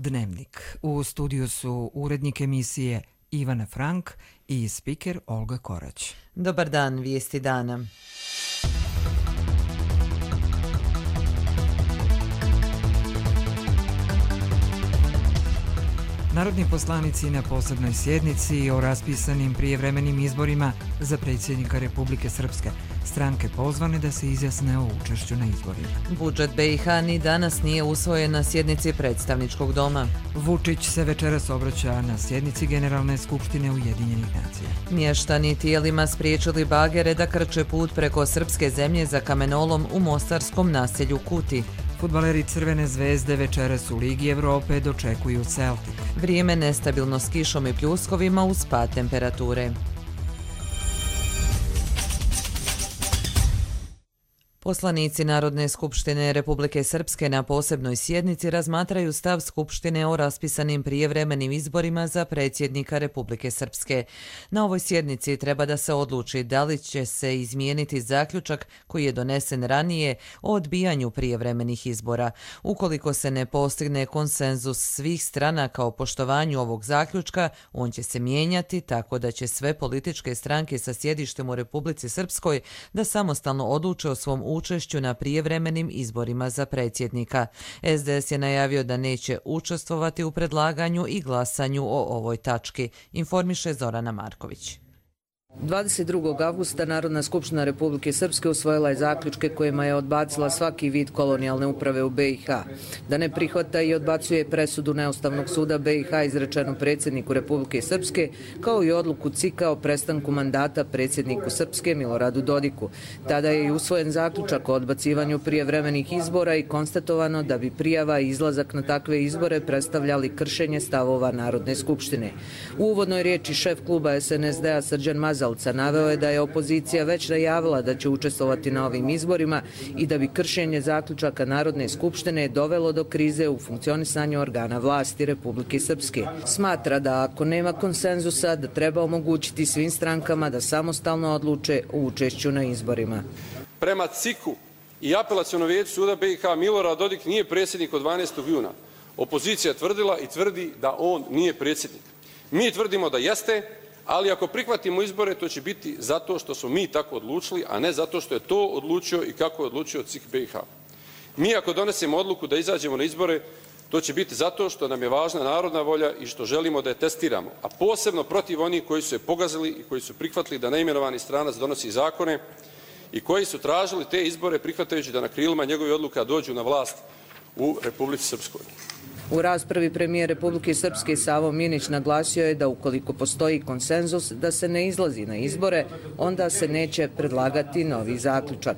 Dnevnik. U studiju su urednik emisije Ivana Frank i spiker Olga Korać. Dobar dan, vijesti dana. Narodni poslanici na posebnoj sjednici o raspisanim prijevremenim izborima za predsjednika Republike Srpske. Stranke pozvane da se izjasne o učešću na izborima. Budžet BiH ni danas nije usvojen na sjednici predstavničkog doma. Vučić se večeras obraća na sjednici Generalne skupštine Ujedinjenih nacija. Mještani tijelima spriječili bagere da krče put preko srpske zemlje za kamenolom u mostarskom naselju Kuti. Fudbaleri Crvene zvezde večeras u Ligi Evrope dočekuju Celtic. Vrijeme nestabilno s kišom i pljuskovima uz pad temperature. Poslanici Narodne skupštine Republike Srpske na posebnoj sjednici razmatraju stav Skupštine o raspisanim prijevremenim izborima za predsjednika Republike Srpske. Na ovoj sjednici treba da se odluči da li će se izmijeniti zaključak koji je donesen ranije o odbijanju prijevremenih izbora. Ukoliko se ne postigne konsenzus svih stranaka o poštovanju ovog zaključka, on će se mijenjati tako da će sve političke stranke sa sjedištem u Republici Srpskoj da samostalno odluče o svom učešću na prijevremenim izborima za predsjednika. SDS je najavio da neće učestvovati u predlaganju i glasanju o ovoj tački, informiše Zorana Marković. 22. avgusta Narodna skupština Republike Srpske usvojila je zaključke kojima je odbacila svaki vid kolonijalne uprave u BiH, da ne prihvata i odbacuje presudu Neustavnog suda BiH izrečenu predsjedniku Republike Srpske, kao i odluku CIK-a o prestanku mandata predsjedniku Srpske Miloradu Dodiku. Tada je i usvojen zaključak o odbacivanju prijevremenih izbora i konstatovano da bi prijava i izlazak na takve izbore predstavljali kršenje stavova Narodne skupštine. U uvodnoj riječi šef kluba SNSD-a Srđan Mazalca naveo je da je opozicija već najavila da će učestvovati na ovim izborima i da bi kršenje zaključaka Narodne skupštine dovelo do krize u funkcionisanju organa vlasti Republike Srpske. Smatra da ako nema konsenzusa, da treba omogućiti svim strankama da samostalno odluče o učešću na izborima. Prema CIK-u i apelacionom vijeću suda BiH Milorad Dodik nije predsjednik od 12. juna. Opozicija tvrdila i tvrdi da on nije predsjednik. Mi tvrdimo da jeste, ali ako prihvatimo izbore, to će biti zato što smo mi tako odlučili, a ne zato što je to odlučio i kako je odlučio CIK BiH. Mi ako donesemo odluku da izađemo na izbore, to će biti zato što nam je važna narodna volja i što želimo da je testiramo, a posebno protiv onih koji su je pogazili i koji su prihvatili da neimenovani stranac donosi zakone i koji su tražili te izbore prihvatajući da na krilima njegovih odluka dođu na vlast u Republici Srpskoj. U raspravi premijer Republike Srpske Savo Minić naglasio je da ukoliko postoji konsenzus da se ne izlazi na izbore, onda se neće predlagati novi zaključak.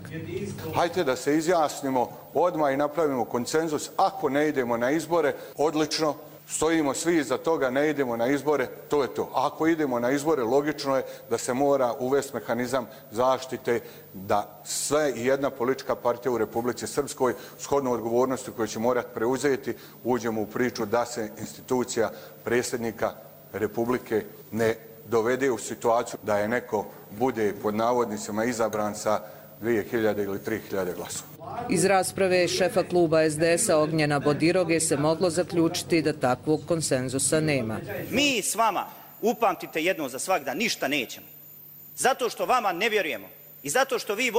Hajde da se izjasnimo odmah i napravimo konsenzus. Ako ne idemo na izbore, odlično, stojimo svi iza toga, ne idemo na izbore, to je to. A ako idemo na izbore, logično je da se mora uvesti mehanizam zaštite da sve i jedna politička partija u Republici Srpskoj shodno odgovornosti koju će morati preuzeti, uđemo u priču da se institucija predsjednika Republike ne dovede u situaciju da je neko bude pod navodnicima izabran sa 2000 ili 3000 glasova. Iz rasprave šefa kluba SDS-a Ognjena Bodiroge se moglo zaključiti da takvog konsenzusa nema. Mi s vama, upamtite jedno za svagda, ništa nećemo. Zato što vama ne vjerujemo i zato što vi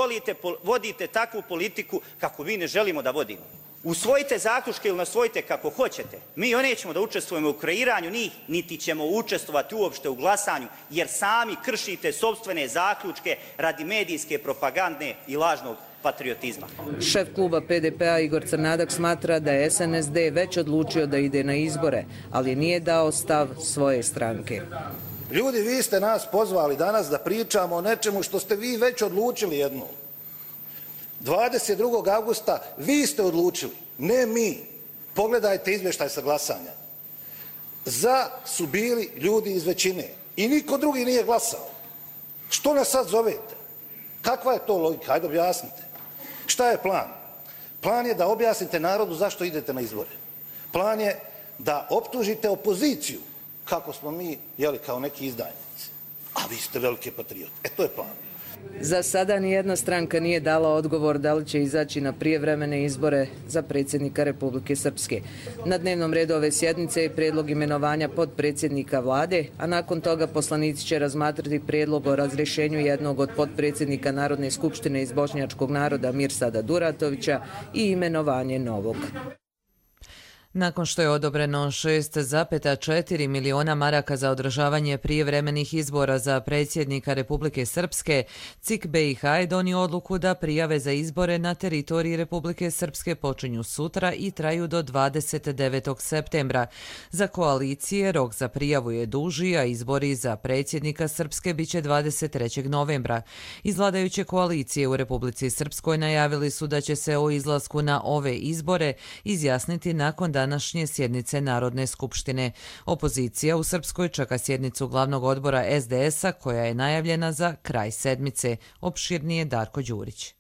vodite takvu politiku kako mi ne želimo da vodimo. Usvojite zaključke ili nasvojite kako hoćete. Mi nećemo da učestvujemo u kreiranju njih, niti ćemo učestvovati uopšte u glasanju, jer sami kršite sopstvene zaključke radi medijske propagande i lažnog patriotizma. Šef kluba PDP-a Igor Crnadak smatra da je SNSD već odlučio da ide na izbore, ali nije dao stav svoje stranke. Ljudi, vi ste nas pozvali danas da pričamo o nečemu što ste vi već odlučili jednom. 22. avgusta vi ste odlučili, ne mi. Pogledajte izvještaj sa glasanja. Za su bili ljudi iz većine i niko drugi nije glasao. Što nas sad zovete? Kakva je to logika? Hajde objasnite. Šta je plan? Plan je da objasnite narodu zašto idete na izbore. Plan je da optužite opoziciju kako smo mi, kao neki izdajnici. A vi ste velike patriote. To je plan. Za sada nijedna stranka nije dala odgovor da li će izaći na prijevremene izbore za predsjednika Republike Srpske. Na dnevnom redu ove sjednice je prijedlog imenovanja potpredsjednika vlade, a nakon toga poslanici će razmatrati prijedlog o razrješenju jednog od potpredsjednika Narodne skupštine iz bošnjačkog naroda Mirsada Duratovića i imenovanje novog. Nakon što je odobreno 6,4 miliona maraka za održavanje prijevremenih izbora za predsjednika Republike Srpske, CIK BiH je donio odluku da prijave za izbore na teritoriji Republike Srpske počinju sutra i traju do 29. septembra. Za koalicije rok za prijavu je duži, a izbori za predsjednika Srpske biće 23. novembra. Iz vladajuće koalicije u Republici Srpskoj najavili su da će se o izlasku na ove izbore izjasniti nakon današnje sjednice Narodne skupštine. Opozicija u Srpskoj čeka sjednicu glavnog odbora SDS-a koja je najavljena za kraj sedmice. Opširnije Darko Đurić.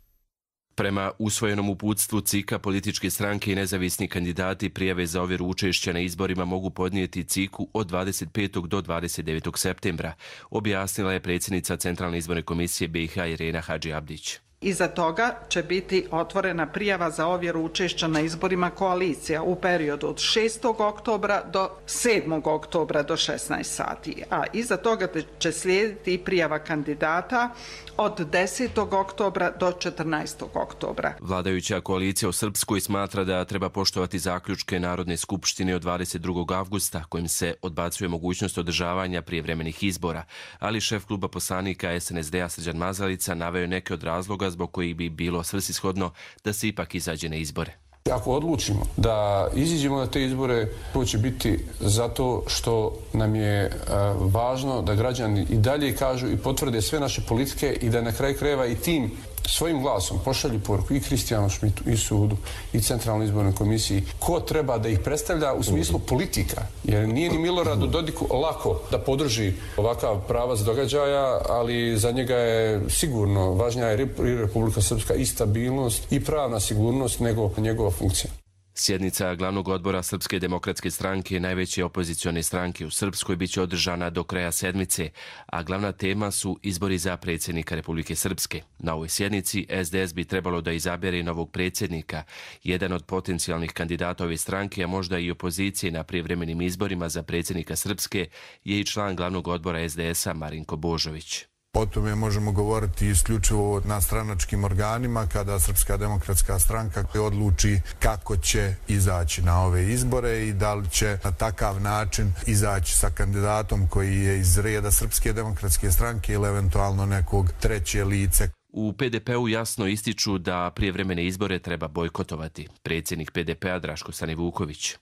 Prema usvojenom uputstvu CIK-a, političke stranke i nezavisni kandidati prijave za ovjeru učešća na izborima mogu podnijeti CIK-u od 25. do 29. septembra, objasnila je predsjednica Centralne izborne komisije BiH Irena Hadži Abdić. Iza toga će biti otvorena prijava za ovjeru učešća na izborima koalicija u periodu od 6. oktobra do 7. oktobra do 16 sati, a iza toga će slijediti prijava kandidata od 10. oktobra do 14. oktobra. Vladajuća koalicija u Srpskoj smatra da treba poštovati zaključke Narodne skupštine od 22. avgusta, kojim se odbacuje mogućnost održavanja prijevremenih izbora, ali šef kluba poslanika SNSD-a Srđan Mazalica naveo neke od razloga zbog kojih bi bilo svrsishodno da se ipak izađe na izbore. Ako odlučimo da iziđemo na te izbore, to će biti zato što nam je važno da građani i dalje kažu i potvrde sve naše politike i da na kraju krajeva i tim svojim glasom pošalju poruku i Kristijanu Šmitu, i sudu, i Centralnoj izbornoj komisiji ko treba da ih predstavlja u smislu politika. Jer nije ni Miloradu Dodiku lako da podrži ovakav pravac događaja, ali za njega je sigurno važnija je i Republika Srpska i stabilnost i pravna sigurnost nego njegova funkcija. Sjednica glavnog odbora Srpske demokratske stranke, najveće opozicione stranke u Srpskoj, biće održana do kraja sedmice, a glavna tema su izbori za predsjednika Republike Srpske. Na ovoj sjednici SDS bi trebalo da izabere novog predsjednika. Jedan od potencijalnih kandidata ove stranke, a možda i opozicije na prijevremenim izborima za predsjednika Srpske, je i član glavnog odbora SDS-a Marinko Božović. O tome možemo govoriti isključivo na stranačkim organima kada Srpska demokratska stranka odluči kako će izaći na ove izbore i da li će na takav način izaći sa kandidatom koji je iz reda Srpske demokratske stranke ili eventualno nekog treće lice. U PDP-u jasno ističu da prijevremene izbore treba bojkotovati. Predsjednik PDP-a Draško Stanivuković.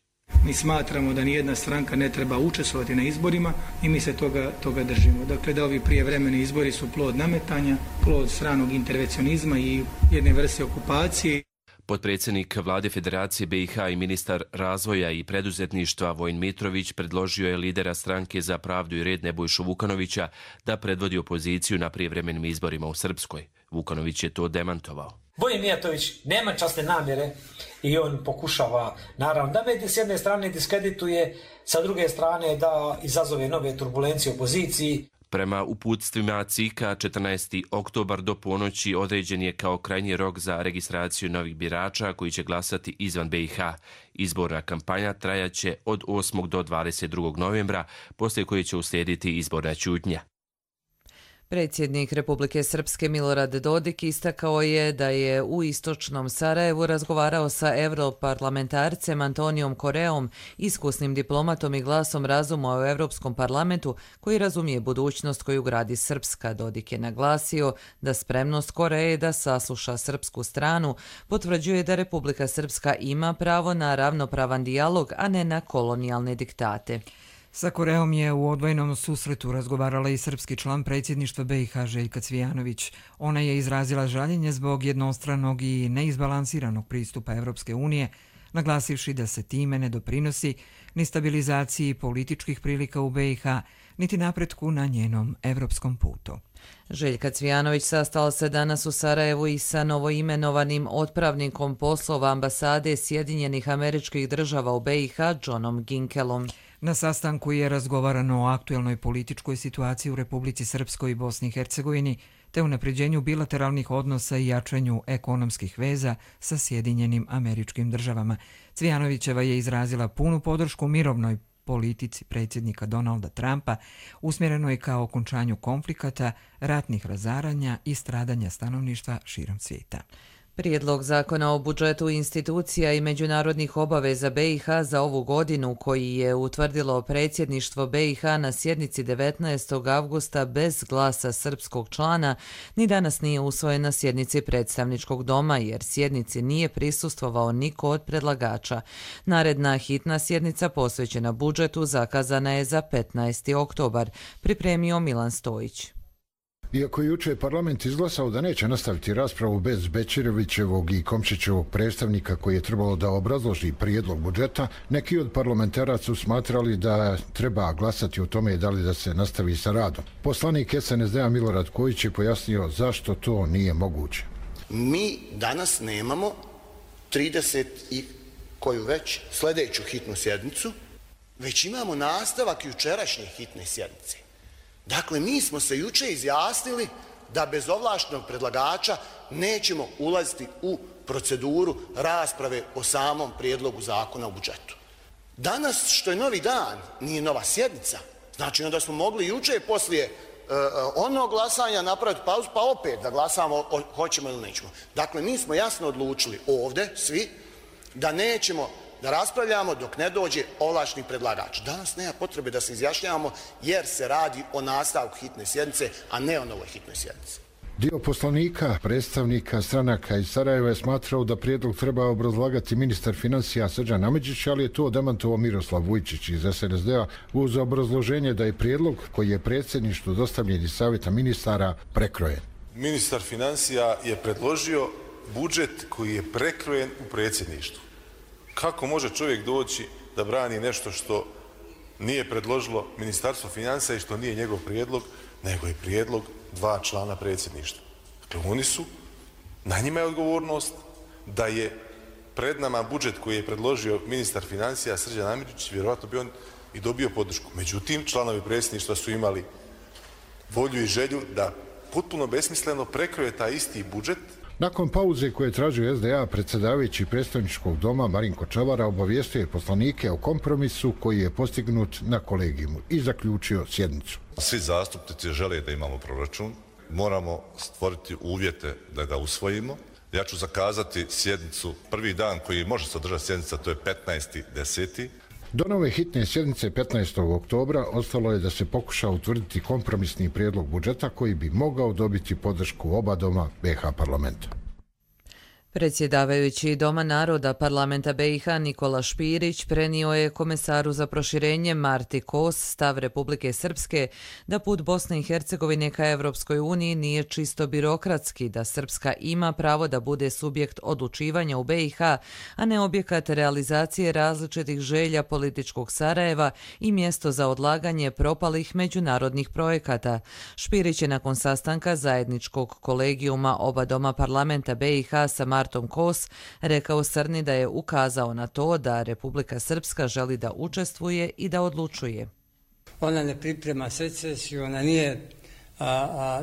Mi smatramo da nijedna stranka ne treba učestvovati na izborima i mi se toga držimo. Dakle, da ovi prijevremeni izbori su plod nametanja, plod stranog intervencionizma i jedne vrste okupacije. Potpredsjednik Vlade Federacije BiH i ministar razvoja i preduzetništva Vojin Mitrović predložio je lidera stranke za pravdu i red Nebojšu Vukanovića da predvodi opoziciju na prijevremenim izborima u Srpskoj. Vukanović je to demantovao. Vojin Mijatović nema časne namjere i on pokušava, naravno, da medij s jedne strane diskredituje, sa druge strane da izazove nove turbulencije u opoziciji. Prema uputstvima CIK-a, 14. oktobar do ponoći određen je kao krajnji rok za registraciju novih birača koji će glasati izvan BiH. Izborna kampanja trajaće od 8. do 22. novembra, poslije koje će uslijediti izborna ćutnja. Predsjednik Republike Srpske Milorad Dodik istakao je da je u istočnom Sarajevu razgovarao sa europarlamentarcem Antonijom Koreom, iskusnim diplomatom i glasom razuma u Europskom parlamentu koji razumije budućnost koju gradi Srpska. Dodik je naglasio da spremnost Koreje da sasluša srpsku stranu potvrđuje da Republika Srpska ima pravo na ravnopravan dijalog, a ne na kolonijalne diktate. Sa Koreom je u odvojenom susretu razgovarala i srpski član predsjedništva BiH Željka Cvijanović. Ona je izrazila žaljenje zbog jednostranog i neizbalansiranog pristupa Evropske unije, naglasivši da se time ne doprinosi ni stabilizaciji političkih prilika u BiH, niti napretku na njenom evropskom putu. Željka Cvijanović sastala se danas u Sarajevu i sa novoimenovanim otpravnikom poslova ambasade Sjedinjenih Američkih Država u BiH Johnom Ginkelom. Na sastanku je razgovarano o aktuelnoj političkoj situaciji u Republici Srpskoj i Bosni i Hercegovini, te unapređenju bilateralnih odnosa i jačanju ekonomskih veza sa Sjedinjenim Američkim Državama. Cvijanovićeva je izrazila punu podršku mirovnoj politici predsjednika Donalda Trumpa, usmjerenoj ka okončanju konflikata, ratnih razaranja i stradanja stanovništva širom svijeta. Prijedlog zakona o budžetu institucija i međunarodnih obaveza BiH za ovu godinu, koji je utvrdilo predsjedništvo BiH na sjednici 19. avgusta bez glasa srpskog člana, ni danas nije usvojen na sjednici predstavničkog doma, jer sjednici nije prisustvovao niko od predlagača. Naredna hitna sjednica posvećena budžetu zakazana je za 15. oktobar, pripremio Milan Stojić. Iako je jučer parlament izglasao da neće nastaviti raspravu bez Bećirovićevog i Komšićevog predstavnika koji je trebalo da obrazloži prijedlog budžeta, neki od parlamentaraca su smatrali da treba glasati o tome da li da se nastavi sa radom. Poslanik SNSD-a Milorad Kojić je pojasnio zašto to nije moguće. Mi danas nemamo 30 i koju već sljedeću hitnu sjednicu, već imamo nastavak jučerašnje hitne sjednice. Dakle, mi smo se juče izjasnili da bez ovlaštenog predlagača nećemo ulaziti u proceduru rasprave o samom prijedlogu zakona o budžetu. Danas, što je novi dan, nije nova sjednica, znači onda smo mogli juče poslije onog glasanja napraviti pauzu, pa opet da glasamo hoćemo ili nećemo. Dakle, mi smo jasno odlučili ovdje, svi, da nećemo da raspravljamo dok ne dođe ovlašteni predlagač. Danas nema potrebe da se izjašnjavamo jer se radi o nastavku hitne sjednice, a ne o novoj hitnoj sjednici. Dio poslanika, predstavnika stranaka iz Sarajeva je smatrao da prijedlog treba obrazlagati ministar financija Srđan Amidžić, ali je to demantovao Miroslav Vujčić iz SNSD-a uz obrazloženje da je prijedlog koji je predsjedništvu dostavljen iz Savjeta ministara prekrojen. Ministar financija je predložio budžet koji je prekrojen u predsjedništvu. Kako može čovjek doći da brani nešto što nije predložilo Ministarstvo financija i što nije njegov prijedlog, nego je prijedlog 2 člana predsjedništva. Dakle, oni su, na njima je odgovornost da je pred nama budžet koji je predložio ministar financija Srđan Amidžić, vjerojatno bi on i dobio podršku. Međutim, članovi predsjedništva su imali volju i želju da potpuno besmisleno prekroje taj isti budžet. Nakon pauze koje je tražio SDA, predsjedavajući predstavničkog doma Marinko Čavara obavijestio je poslanike o kompromisu koji je postignut na kolegijumu i zaključio sjednicu. Svi zastupnici žele da imamo proračun, moramo stvoriti uvjete da ga usvojimo. Ja ću zakazati sjednicu, prvi dan koji može se održati sjednica, to je 15.10. Do nove hitne sjednice 15. oktobra ostalo je da se pokuša utvrditi kompromisni prijedlog budžeta koji bi mogao dobiti podršku oba doma BiH parlamenta. Predsjedavajući Doma naroda parlamenta BiH Nikola Špirić prenio je komesaru za proširenje Marti Kos stav Republike Srpske da put Bosne i Hercegovine ka Evropskoj uniji nije čisto birokratski, da Srpska ima pravo da bude subjekt odlučivanja u BiH, a ne objekat realizacije različitih želja političkog Sarajeva i mjesto za odlaganje propalih međunarodnih projekata. Špirić je nakon sastanka zajedničkog kolegijuma oba doma parlamenta BiH sa Martom Kos rekao Srni da je ukazao na to da Republika Srpska želi da učestvuje i da odlučuje. Ona ne priprema secesiju, ona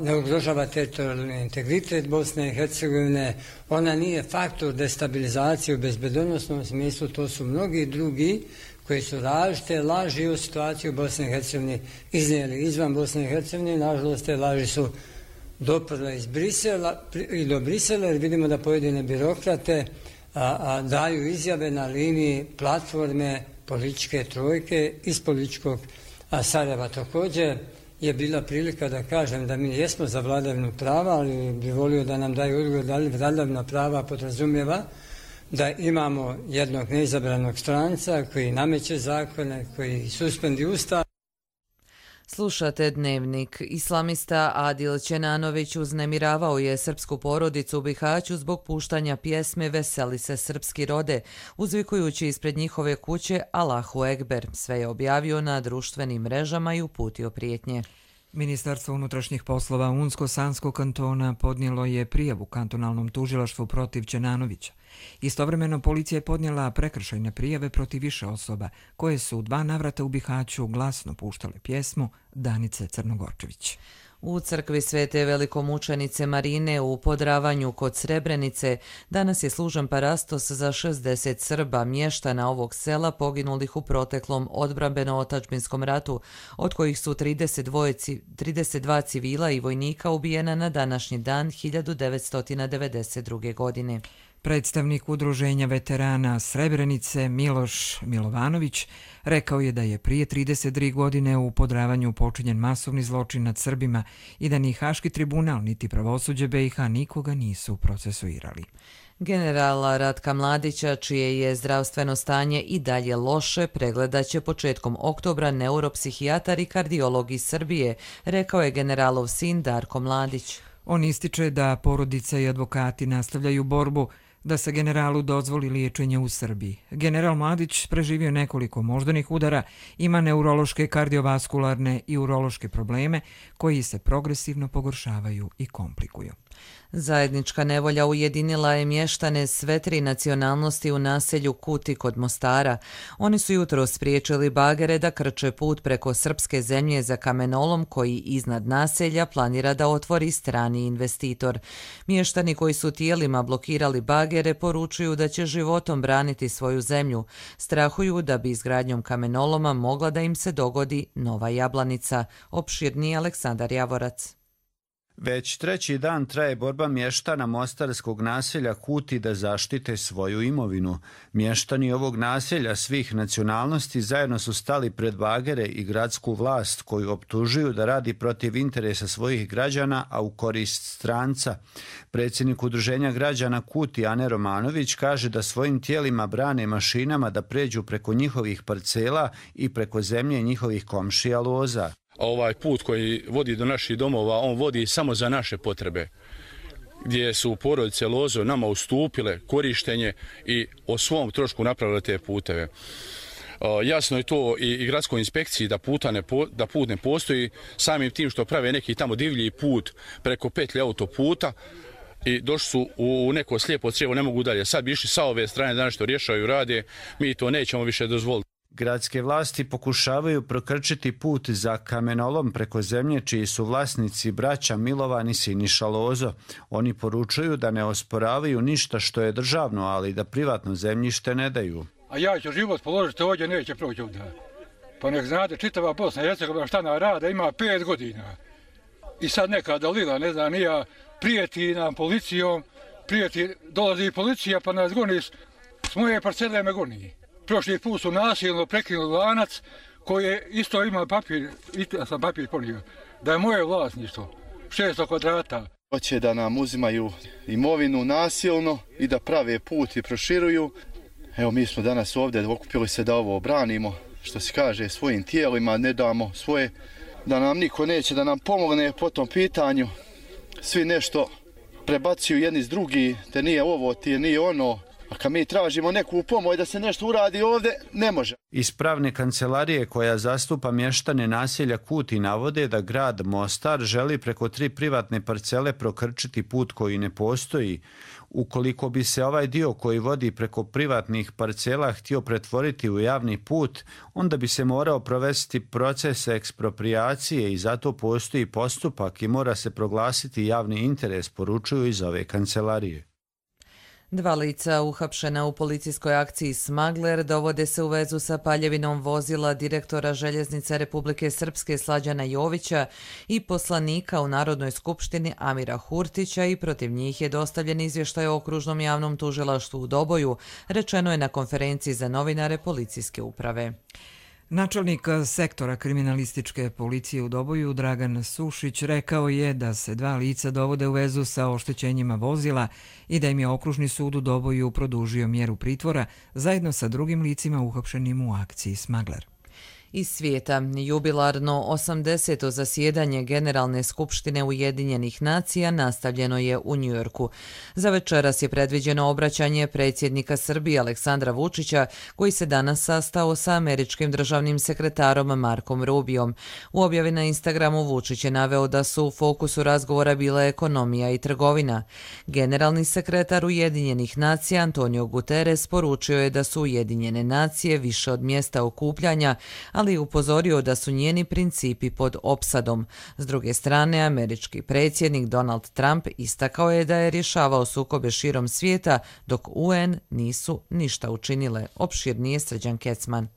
ne ugrožava teritorijalni integritet Bosne i Hercegovine, ona nije faktor destabilizacije u bezbednosnom smislu, to su mnogi drugi koji su različite laži o situaciji u Bosni i Hercegovini iznijeli izvan Bosne i Hercegovine, nažalost te laži su doprla iz Brisela i do Brisela, jer vidimo da pojedine birokrate daju izjave na liniji platforme političke trojke iz političkog Sarajeva. Također je bila prilika da kažem da mi jesmo za vladavinu prava, ali bi volio da nam daju odgovor da li vladavina prava podrazumijeva da imamo jednog neizabranog stranca koji nameće zakone, koji suspendi ustav. Slušate Dnevnik. Islamista Adil Ćenanović uznemiravao je srpsku porodicu u Bihaću zbog puštanja pjesme Veseli se srpski rode, uzvikujući ispred njihove kuće Allahu Ekber. Sve je objavio na društvenim mrežama i uputio prijetnje. Ministarstvo unutrašnjih poslova Unsko-Sanskog kantona podnijelo je prijavu kantonalnom tužilaštvu protiv Ćenanovića. Istovremeno policija je podnijela prekršajne prijave protiv više osoba koje su u 2 navrata u Bihaću glasno puštale pjesmu Danice Crnogorčević. U crkvi Svete velikomučenice Marine u Podravanju kod Srebrenice danas je služen parastos za 60 Srba mještana ovog sela poginulih u proteklom odbrambeno-otačbinskom ratu, od kojih su 32 civila i vojnika ubijena na današnji dan 1992. godine. Predstavnik udruženja veterana Srebrenice Miloš Milovanović rekao je da je prije 33 godine u Podravanju počinjen masovni zločin nad Srbima i da ni Haški tribunal niti pravosuđe BiH nikoga nisu procesuirali. Generala Ratka Mladića, čije je zdravstveno stanje i dalje loše, pregledaće početkom oktobra neuropsihijatar i kardiolog iz Srbije, rekao je generalov sin Darko Mladić. On ističe da porodica i advokati nastavljaju borbu da se generalu dozvoli liječenje u Srbiji. General Mladić preživio nekoliko moždanih udara, ima neurološke, kardiovaskularne i urološke probleme koji se progresivno pogoršavaju i komplikuju. Zajednička nevolja ujedinila je mještane sve 3 nacionalnosti u naselju Kuti kod Mostara. Oni su jutros spriječili bagere da krče put preko srpske zemlje za kamenolom koji iznad naselja planira da otvori strani investitor. Mještani koji su tijelima blokirali bagere poručuju da će životom braniti svoju zemlju. Strahuju da bi izgradnjom kamenoloma mogla da im se dogodi nova Jablanica. Opširniji Aleksandar Javorac. Već 3. dan traje borba mještana mostarskog naselja Kuti da zaštite svoju imovinu. Mještani ovog naselja svih nacionalnosti zajedno su stali pred bagere i gradsku vlast koju optužuju da radi protiv interesa svojih građana, a u korist stranca. Predsjednik udruženja građana Kuti Ane Romanović kaže da svojim tijelima brane mašinama da pređu preko njihovih parcela i preko zemlje njihovih komšija loza. Ovaj put koji vodi do naših domova, on vodi samo za naše potrebe, gdje su porodice Lozo nama ustupile korištenje i o svom trošku napravile te puteve. Jasno je to i gradskoj inspekciji da put ne postoji, samim tim što prave neki tamo divlji put preko petlje autoputa i došli su u neko slijepo crijevo, ne mogu dalje. Sad bi išli sa ove strane da nešto rješaju, rade, mi to nećemo više dozvoliti. Gradske vlasti pokušavaju prokrčiti put za kamenolom preko zemlje čiji su vlasnici braća Milovan i Siniša Lozo. Oni poručuju da ne osporavaju ništa što je državno, ali da privatno zemljište ne daju. A ja ću život položiti ovdje, neće proći ovdje. Pa nek znate, čitava Bosna i Hercegovina šta na rada ima 5 godina. I sad neka dalila, ne znam, nija prijeti nam policijom, dolazi policija pa nas goni, s moje parcele me goni. Prošli put su nasilno prekinuli lanac koji isto ima papir, ja sam papir ponio, da je moje vlasništvo, 600 kvadrata. Hoće da nam uzimaju imovinu nasilno i da prave put i proširuju. Evo mi smo danas ovdje okupili se da ovo obranimo, što se kaže, svojim tijelima, ne damo svoje, da nam niko neće da nam pomogne po tom pitanju. Svi nešto prebacuju jedni s drugi, te nije ovo, te nije ono. A kad mi tražimo neku pomoć da se nešto uradi ovdje, ne može. Iz pravne kancelarije koja zastupa mještane naselja Kuti navode da grad Mostar želi preko 3 privatne parcele prokrčiti put koji ne postoji. Ukoliko bi se ovaj dio koji vodi preko privatnih parcela htio pretvoriti u javni put, onda bi se morao provesti proces eksproprijacije i zato postoji postupak i mora se proglasiti javni interes, poručuju iz ove kancelarije. 2 lica uhapšena u policijskoj akciji Smagler dovode se u vezu sa paljevinom vozila direktora Željeznice Republike Srpske Slađana Jovića i poslanika u Narodnoj skupštini Amira Hurtića i protiv njih je dostavljen izvještaj o okružnom javnom tužilaštvu u Doboju, rečeno je na konferenciji za novinare policijske uprave. Načelnik sektora kriminalističke policije u Doboju Dragan Sušić rekao je da se 2 lica dovode u vezu sa oštećenjima vozila i da im je okružni sud u Doboju produžio mjeru pritvora zajedno sa drugim licima uhapšenim u akciji Smagler. Iz svijeta, jubilarno 80. zasjedanje Generalne skupštine Ujedinjenih nacija nastavljeno je u Njujorku. Za večeras je predviđeno obraćanje predsjednika Srbije Aleksandra Vučića, koji se danas sastao sa američkim državnim sekretarom Markom Rubijom. U objavi na Instagramu Vučić je naveo da su u fokusu razgovora bila ekonomija i trgovina. Generalni sekretar Ujedinjenih nacija Antonio Guterres poručio je da su Ujedinjene nacije više od mjesta okupljanja, ali je upozorio da su njeni principi pod opsadom. S druge strane, američki predsjednik Donald Trump istakao je da je rješavao sukobe širom svijeta, dok UN nisu ništa učinile. Opširnije Srđan Kecman.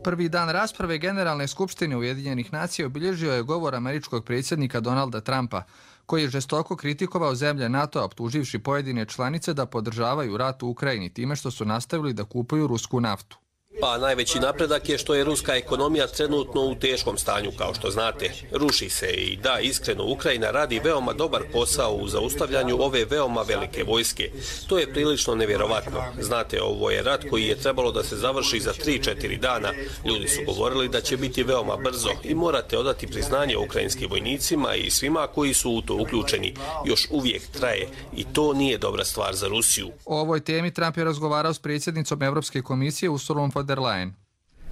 Prvi dan rasprave Generalne skupštine Ujedinjenih nacija obilježio je govor američkog predsjednika Donalda Trumpa, koji je žestoko kritikovao zemlje NATO-a optuživši pojedine članice da podržavaju rat u Ukrajini time što su nastavili da kupuju rusku naftu. Pa najveći napredak je što je ruska ekonomija trenutno u teškom stanju, kao što znate. Ruši se i da, iskreno, Ukrajina radi veoma dobar posao u zaustavljanju ove veoma velike vojske. To je prilično nevjerovatno. Znate, ovo je rat koji je trebalo da se završi za 3-4 dana. Ljudi su govorili da će biti veoma brzo i morate odati priznanje ukrajinskim vojnicima i svima koji su u to uključeni. Još uvijek traje i to nije dobra stvar za Rusiju. O ovoj temi Trump je razgovarao s predsjednicom Evropske komisije Ursulom von der Leyen.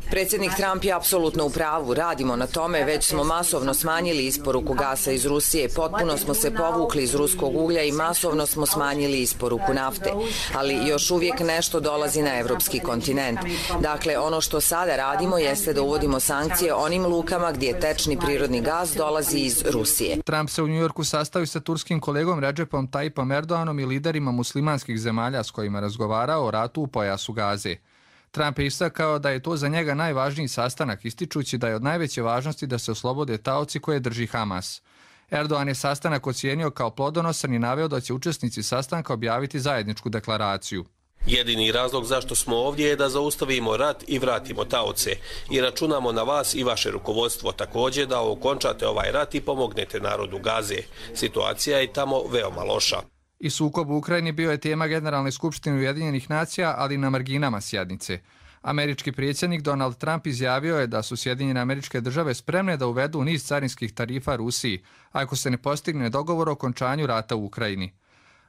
Predsjednik Trump je apsolutno u pravu, radimo na tome, već smo masovno smanjili isporuku gasa iz Rusije, potpuno smo se povukli iz ruskog uglja i masovno smo smanjili isporuku nafte, ali još uvijek nešto dolazi na evropski kontinent. Dakle, ono što sada radimo jeste da uvodimo sankcije onim lukama gdje tečni prirodni gas dolazi iz Rusije. Trump se u Njujorku sastao sa turskim kolegom Recepom Tayyipom Erdoganom i liderima muslimanskih zemalja s kojima razgovarao o ratu u pojasu Gaze. Trump je istakao da je to za njega najvažniji sastanak, ističući da je od najveće važnosti da se oslobode taoci koje drži Hamas. Erdogan je sastanak ocijenio kao plodonosan i naveo da će učesnici sastanka objaviti zajedničku deklaraciju. Jedini razlog zašto smo ovdje je da zaustavimo rat i vratimo taoce. I računamo na vas i vaše rukovodstvo također da okončate ovaj rat i pomognete narodu Gaze. Situacija je tamo veoma loša. I sukob u Ukrajini bio je tema Generalne skupštine Ujedinjenih nacija, ali na marginama sjednice. Američki predsjednik Donald Trump izjavio je da su Sjedinjene Američke Države spremne da uvedu niz carinskih tarifa Rusiji, ako se ne postigne dogovor o okončanju rata u Ukrajini.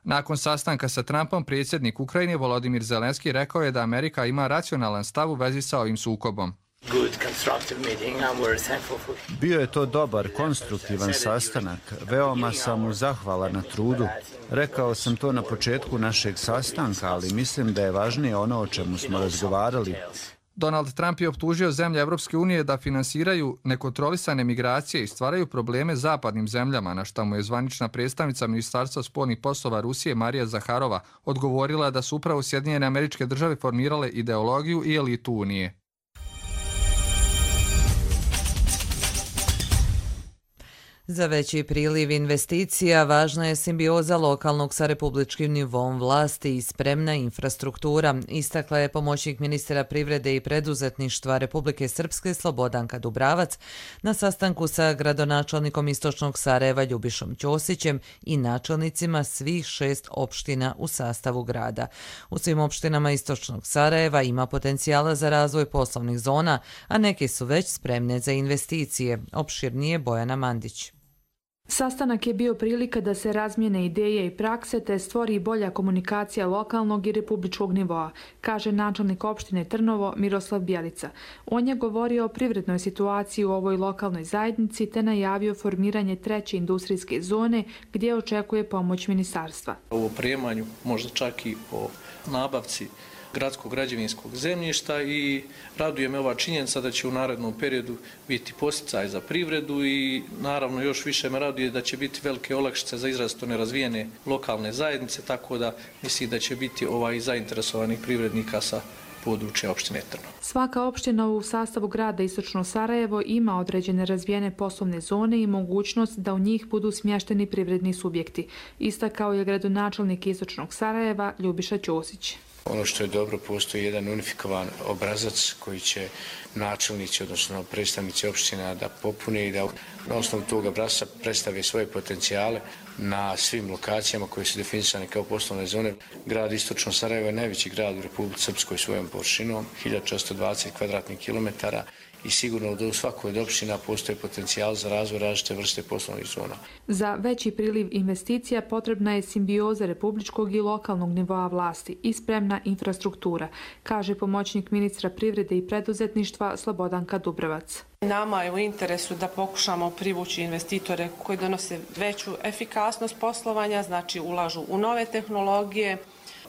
Nakon sastanka sa Trumpom, predsjednik Ukrajine Volodimir Zelenski rekao je da Amerika ima racionalan stav u vezi sa ovim sukobom. Bio je to dobar, konstruktivan sastanak. Veoma sam mu zahvalan na trudu. Rekao sam to na početku našeg sastanka, ali mislim da je važnije ono o čemu smo razgovarali. Donald Trump je optužio zemlje Evropske unije da finansiraju nekontrolisane migracije i stvaraju probleme zapadnim zemljama, na što mu je zvanična predstavnica Ministarstva spoljnih poslova Rusije Marija Zaharova odgovorila da su upravo Sjedinjene Američke Države formirale ideologiju i elitu Unije. Za veći priliv investicija važna je simbioza lokalnog sa republičkim nivom vlasti i spremna infrastruktura, istakla je pomoćnik ministra privrede i preduzetništva Republike Srpske Slobodanka Dubravac na sastanku sa gradonačelnikom Istočnog Sarajeva Ljubišom Ćosićem i načelnicima svih 6 opština u sastavu grada. U svim opštinama Istočnog Sarajeva ima potencijala za razvoj poslovnih zona, a neke su već spremne za investicije. Opširnije Bojana Mandić. Sastanak je bio prilika da se razmijene ideje i prakse te stvori bolja komunikacija lokalnog i republičkog nivoa, kaže načelnik opštine Trnovo Miroslav Bjelica. On je govorio o privrednoj situaciji u ovoj lokalnoj zajednici te najavio formiranje 3. industrijske zone gdje očekuje pomoć ministarstva. U opremanju, možda čak i o nabavci gradskog građevinskog zemljišta i raduje me ova činjenica da će u narednom periodu biti podsticaj za privredu i naravno još više me raduje da će biti velike olakšice za izrazito nerazvijene lokalne zajednice, tako da mislim da će biti i zainteresovanih privrednika sa područja opštine Trnovo. Svaka opština u sastavu grada Istočno Sarajevo ima određene razvijene poslovne zone i mogućnost da u njih budu smješteni privredni subjekti, istakao je gradonačelnik Istočnog Sarajeva Ljubiša Ćosić. Ono što je dobro, postoji jedan unifikovan obrazac koji će načelnici, odnosno predstavnici opština da popune i da na osnovu tog obrasca predstave svoje potencijale na svim lokacijama koje su definisane kao poslovne zone. Grad Istočno Sarajevo je najveći grad u Republici Srpskoj svojom površinom, 1420 kvadratnih kilometara i sigurno da u svakoj od opština postoji potencijal za razvoj različite vrste poslovnih zona. Za veći priliv investicija potrebna je simbioza republičkog i lokalnog nivoa vlasti i spremna infrastruktura, kaže pomoćnik ministra privrede i preduzetništva Slobodanka Dubrovac. Nama je u interesu da pokušamo privući investitore koji donose veću efikasnost poslovanja, znači ulažu u nove tehnologije,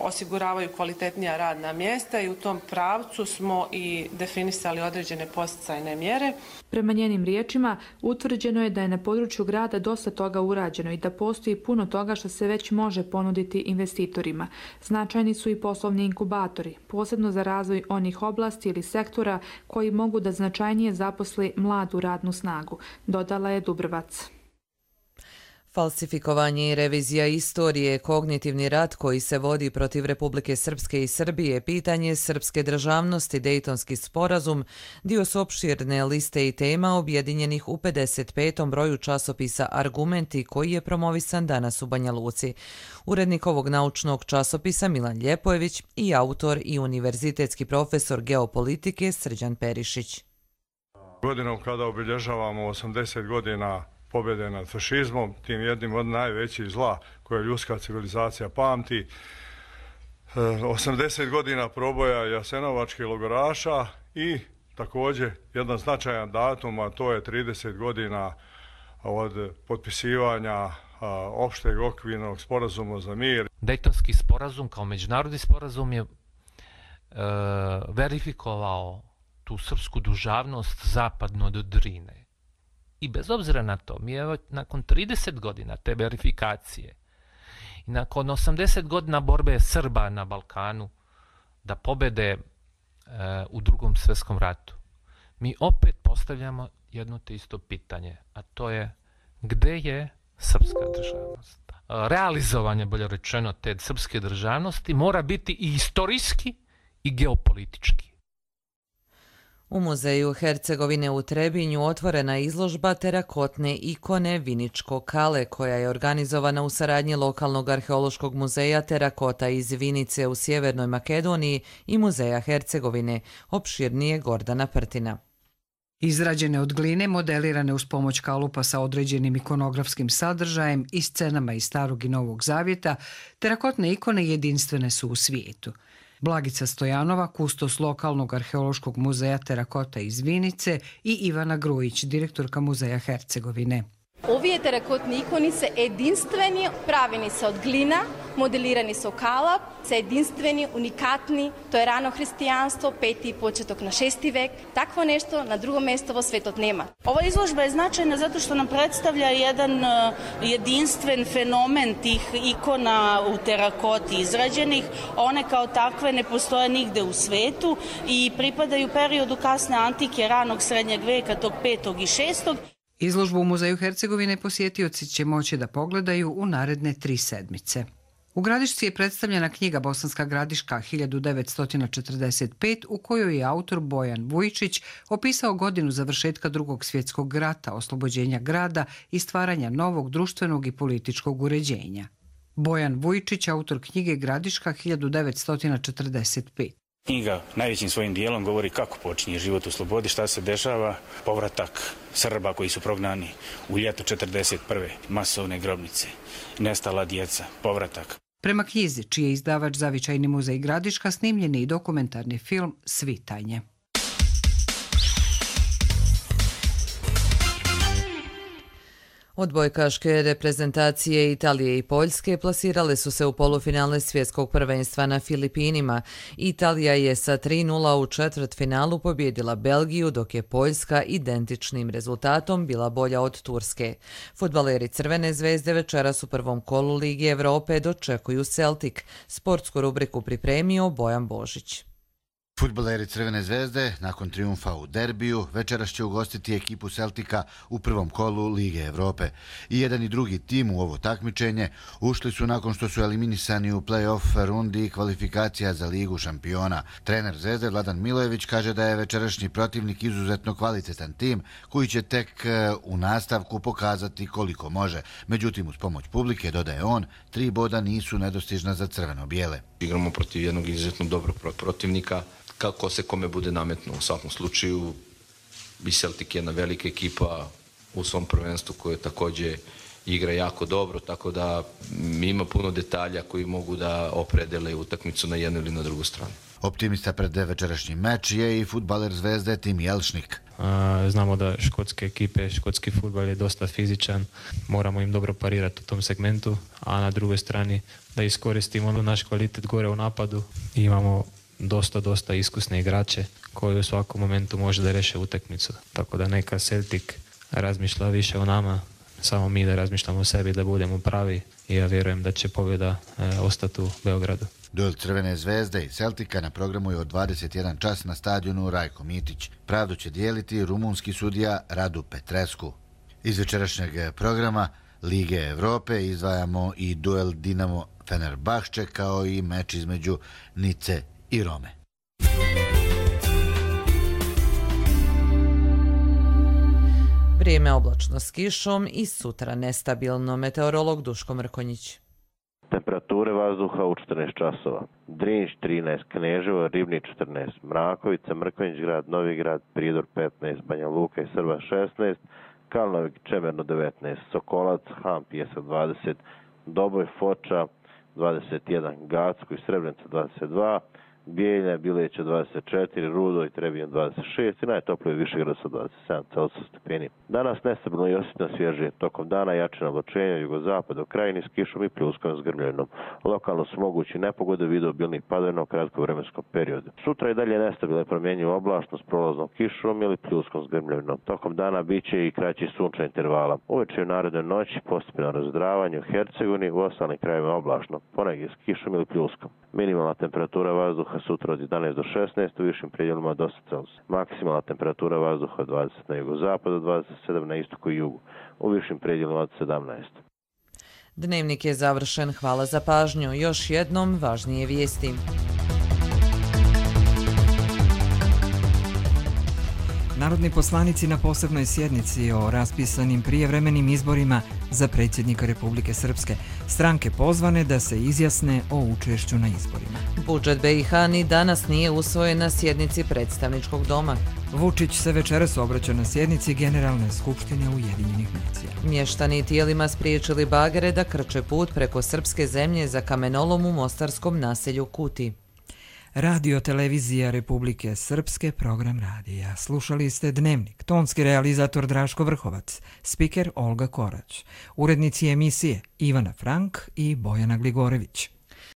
osiguravaju kvalitetnija radna mjesta i u tom pravcu smo i definisali određene podsticajne mjere. Prema njenim riječima, utvrđeno je da je na području grada dosta toga urađeno i da postoji puno toga što se već može ponuditi investitorima. Značajni su i poslovni inkubatori, posebno za razvoj onih oblasti ili sektora koji mogu da značajnije zaposli mladu radnu snagu, dodala je Dubrovac. Falsifikovanje i revizija istorije, kognitivni rat koji se vodi protiv Republike Srpske i Srbije, pitanje srpske državnosti, Dejtonski sporazum, dio su opširne liste i tema objedinjenih u 55. broju časopisa Argumenti koji je promovisan danas u Banja Luci. Urednik ovog naučnog časopisa Milan Ljepojević i autor i univerzitetski profesor geopolitike Srđan Perišić. Godinom kada obilježavamo 80 godina pobjede nad fašizmom, tim jednim od najvećih zla koje ljudska civilizacija pamti. 80 godina proboja jasenovačkih logoraša i također jedan značajan datum, a to je 30 godina od potpisivanja opšteg okvirnog sporazuma za mir. Dejtonski sporazum kao međunarodni sporazum je verifikovao tu srpsku državnost zapadno od Drine. I bez obzira na to, mi je nakon 30 godina te verifikacije i nakon 80 godina borbe Srba na Balkanu da pobede u Drugom svjetskom ratu, mi opet postavljamo jedno te isto pitanje, a to je gde je srpska državnost? Realizovanje, bolje rečeno, te srpske državnosti mora biti i istorijski i geopolitički. U muzeju Hercegovine u Trebinju otvorena izložba terakotne ikone Viničko kale, koja je organizovana u saradnji lokalnog arheološkog muzeja Terakota iz Vinice u Sjevernoj Makedoniji i muzeja Hercegovine, opširnije Gordana Prtina. Izrađene od gline, modelirane uz pomoć kalupa sa određenim ikonografskim sadržajem i scenama iz Starog i Novog Zavjeta, terakotne ikone jedinstvene su u svijetu. Blagica Stojanova, kustos lokalnog arheološkog muzeja Terakota iz Vinice i Ivana Grujić, direktorka muzeja Hercegovine. Ovi terakotni ikoni se jedinstveni, praveni se od glina, modelirani su kalap, se jedinstveni, unikatni, to je rano hristijanstvo, 5. početok na 6. vek, takvo nešto na drugom mjestu vo svetot nema. Ova izložba je značajna zato što nam predstavlja jedan jedinstven fenomen tih ikona u terakoti izrađenih. One kao takve ne postoje nigde u svetu i pripadaju periodu kasne antike, ranog srednjeg veka, tog 5. i 6. Izložbu u muzeju Hercegovine posjetioci će moći da pogledaju u naredne 3 sedmice. U Gradišci je predstavljena knjiga Bosanska Gradiška 1945, u kojoj je autor Bojan Vujčić opisao godinu završetka Drugog svjetskog rata, oslobođenja grada i stvaranja novog društvenog i političkog uređenja. Bojan Vujčić, autor knjige Gradiška 1945. Knjiga najvećim svojim dijelom govori kako počinje život u slobodi, šta se dešava, povratak Srba koji su prognani u ljeto 1941. masovne grobnice, nestala djeca, povratak. Prema knjizi, čiji je izdavač Zavičajni muzej Gradiška, snimljen je i dokumentarni film Svitanje. Odbojkaške reprezentacije Italije i Poljske plasirale su se u polufinale svjetskog prvenstva na Filipinima. Italija je sa 3:0 u četvrtfinalu pobjedila Belgiju, dok je Poljska identičnim rezultatom bila bolja od Turske. Fudbaleri Crvene zvezde večeras u prvom kolu Lige Evrope dočekuju Celtic. Sportsku rubriku pripremio Bojan Božić. Fudbaleri Crvene zvezde, nakon trijumfa u derbiju, večeras će ugostiti ekipu Celtica u prvom kolu Lige Evrope. I jedan i drugi tim u ovo takmičenje ušli su nakon što su eliminisani u play-off rundi kvalifikacija za Ligu šampiona. Trener Zvezde Vladan Milojević kaže da je večerašnji protivnik izuzetno kvalitetan tim koji će tek u nastavku pokazati koliko može. Međutim, uz pomoć publike, dodaje on, 3 boda nisu nedostižna za crveno-bijele. Igramo protiv jednog izuzetno dobrog protivnika. Kako se kome bude nametno, u svakom slučaju i Celtic je jedna velika ekipa u svom prvenstvu koja također igra jako dobro, tako da ima puno detalja koji mogu da opredele utakmicu na jednu ili na drugu stranu. Optimista pred večerašnji meč je i fudbaler Zvezde Tim Jelšnik. Znamo da škotske ekipe, škotski fudbal je dosta fizičan, moramo im dobro parirati u tom segmentu, a na drugoj strani da iskoristimo naš kvalitet gore u napadu. Imamo dosta iskusne igrače koji u svakom momentu može da reše utakmicu. Tako da neka Celtic razmišlja više o nama, samo mi da razmišljamo o sebi, da budemo pravi i ja vjerujem da će pobjeda ostati u Beogradu. Duel Crvene zvezde i Celtika na programu je od 21 čas na stadionu Rajko Mitić. Pravdu će dijeliti rumunski sudija Radu Petrescu. Iz večerašnjeg programa Lige Evrope izdvajamo i duel Dinamo Fenerbahče kao i meč između Nice i Rome. Vrijeme oblačno s kišom i sutra nestabilno. Meteorolog Duško Mrkonjić. Temperature vazduha u 14 časova. Drinć 13, Kneževo, Ribnik 14, Mrakovica, Mrkonjić grad, Novi grad, Prijedor 15, Banja Luka i Srba 16, Kalnovik, Čemerno 19, Sokolac, Han, Pjesak 20, Doboj, Foča 21, Gacko i Srebrenica 22, Bijeljina, Bileća 24, Rudo i Trebinje 26 i najtoplije Višegrad sa 27 Celsijusa stepeni. Danas nestabilno i osjetno svježije. Tokom dana jače navlačenja u jugozapada u krajini s kišom i pljuskom s grmljevinom. Lokalno su mogući nepogode u vidu obilnih padavina u kratkom vremenskom periodu. Sutra i dalje nestabilno promjenjivo oblačno s prolaznom kišom ili pljuskom s grmljevinom. Tokom dana biće i kraći sunčanih intervala. Uveče u narednoj noći postepeno razdravanje u Hercegovini, u ostalim krajevima oblačno, ponegdje s kišom ili pljuskom. Minimalna temperatura vazduha sutra od 11 do 16, u višim predjelima do 10 Celsijusa. Maksimalna temperatura vazduha 20 na jugozapadu, 27 na istoku i jugu, u višim predjelima od 17. Dnevnik je završen. Hvala za pažnju. Još jednom važnije vijesti. Narodni poslanici na posebnoj sjednici o raspisanim prijevremenim izborima za predsjednika Republike Srpske. Stranke pozvane da se izjasne o učešću na izborima. Budžet BiH ni danas nije usvojen na sjednici predstavničkog doma. Vučić se večeras obraća na sjednici Generalne skupštine Ujedinjenih nacija. Mještani tijelima spriječili bagere da krče put preko srpske zemlje za kamenolom u mostarskom naselju Kuti. Radio televizija Republike Srpske, program radija. Slušali ste Dnevnik, tonski realizator Draško Vrhovac, spiker Olga Korać, urednici emisije Ivana Frank i Bojana Gligorević.